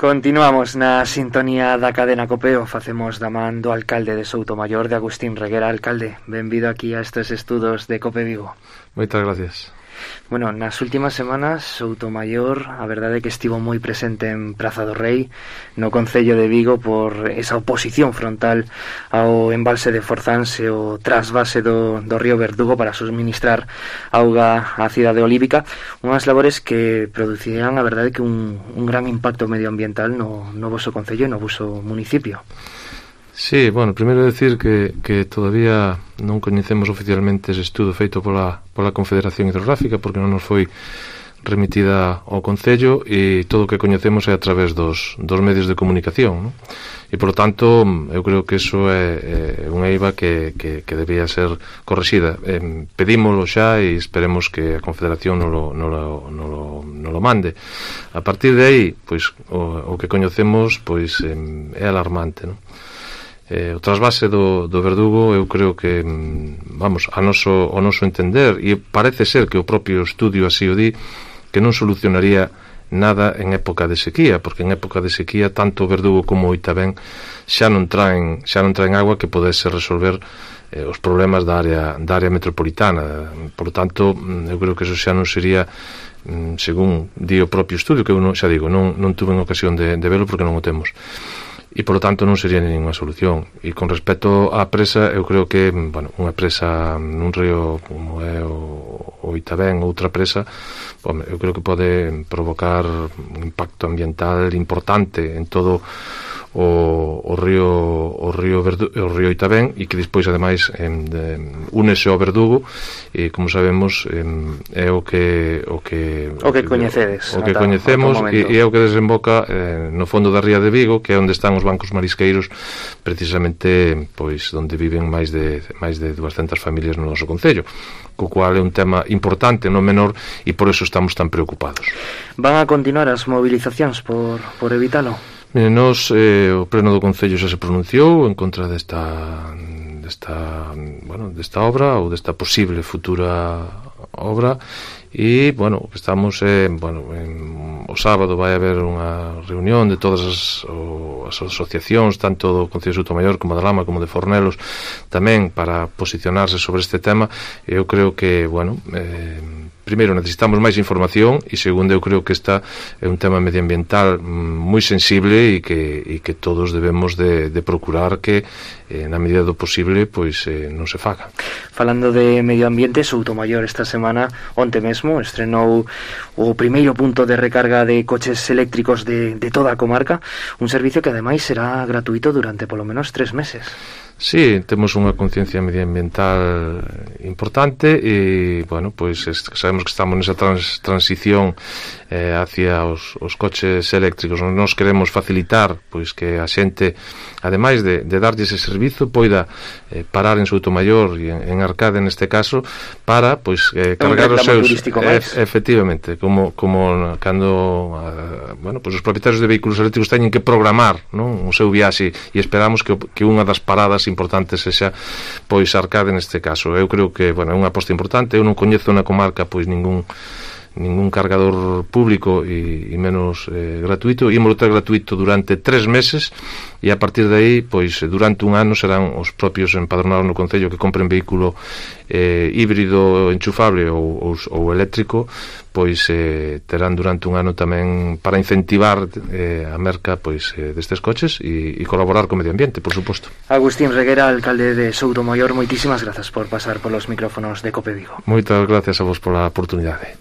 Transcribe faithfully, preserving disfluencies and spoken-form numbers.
Continuamos na sintonía da cadena Copeo. Facemos da man do alcalde de Soutomaior, de Agustín Reguera. Alcalde, benvido aquí a estes estudos de Cope Vigo. Moitas gracias. Bueno, nas últimas semanas Soutomaior, a verdade é que estivo moi presente en Praza do Rei, no concello de Vigo, por esa oposición frontal ao embalse de Forzanse, o trasvase do, do río Verdugo para suministrar auga á cidade olívica, unhas labores que producirían, a verdade, que un, un gran impacto medioambiental no, no voso concello e no voso municipio. Sí, bueno, primeiro decir que, que todavía non coñecemos oficialmente ese estudo feito pola, pola Confederación Hidrográfica, porque non nos foi remitida ao Concello, e todo o que coñecemos é a través dos, dos medios de comunicación, non? E, por lo tanto, eu creo que iso é, é unha eiva que, que, que debía ser correxida. Eh, pedímolo xa e esperemos que a Confederación non lo, non lo, non lo, non lo mande. A partir de aí, pois, o, o que coñecemos pois, eh, é alarmante, non? Eh, o trasvase do, do Verdugo, eu creo que, vamos, a noso, ao noso entender, e parece ser que o propio estudio así o di, que non solucionaría nada en época de sequía, porque en época de sequía tanto o Verdugo como o Oitavén xa non traen, xa non traen agua que podese resolver eh, os problemas da área, da área metropolitana. Por lo tanto, eu creo que eso xa non sería, según di o propio estudio, que eu non, xa digo, non, non tuve en ocasión de, de velo porque non o temos, e por lo tanto non sería ninguna solución. E con respecto á presa, eu creo que, bueno, unha presa nun río como é o, o Oitavén, outra presa, bom, eu creo que pode provocar un impacto ambiental importante en todo o, o río o río Verdu, o río Oitavén, e que despois ademais em, de, únese ao Verdugo, e como sabemos em, é o que o que o que coñecedes, o que coñecemos, e, e é o que desemboca eh, no fondo da ría de Vigo, que é onde están os bancos marisqueiros, precisamente pois onde viven máis de máis de duascentas familias no noso concello, co cual é un tema importante, non menor, e por eso estamos tan preocupados. Van a continuar as movilizacións por, por evitalo? Mire, nos, eh, o pleno do Concello xa se pronunciou en contra desta, desta, bueno, desta obra, ou desta posible futura obra, e, bueno, estamos, eh, bueno, en, o sábado vai haber unha reunión de todas as, o, as asociacións, tanto do Concello de Soutomaior como da Lama, como de Fornelos, tamén para posicionarse sobre este tema. E eu creo que, bueno, eh, primeiro necesitamos máis información, e segundo, eu creo que esta é un tema medioambiental moi sensible, e que, e que todos debemos de, de procurar que eh, na medida do posible pois eh, non se faga. Falando de medio ambiente, Soutomaior esta semana, onte mesmo, estrenou o primeiro punto de recarga de coches eléctricos de, de toda a comarca, un servicio que ademais será gratuito durante polo menos tres meses. Sí, temos unha conciencia medioambiental importante, e, bueno, pois sabemos que estamos nesa trans, transición eh, hacia os, os coches eléctricos. Nos queremos facilitar pois que a xente, ademais de, de darlle ese servizo, poida eh, parar en Soutomaior e en, en Arcade neste caso, para pois eh, cargar os seus eh, efectivamente, como, como cando uh, bueno, pois os propietarios de vehículos eléctricos teñen que programar, non, o seu viaxe, e esperamos que, que unha das paradas importante sexa pois Arcade neste caso. Eu creo que, bueno, é unha aposta importante. Eu non coñezo na comarca pois ningún ningún cargador público e, e menos eh, gratuito. Ímolo ter gratuito durante tres meses, e a partir de aí, pois durante un ano serán os propios empadronados no concello que compren vehículo eh, híbrido enchufable ou, ou, ou eléctrico, pois eh, terán durante un ano tamén para incentivar eh, a merca pois eh, destes coches, e, e colaborar co medio ambiente, por suposto. Agustín Reguera, alcalde de Soutomaior, moitísimas grazas por pasar polos micrófonos de Cope Vigo. Moitas gracias a vos pola oportunidade.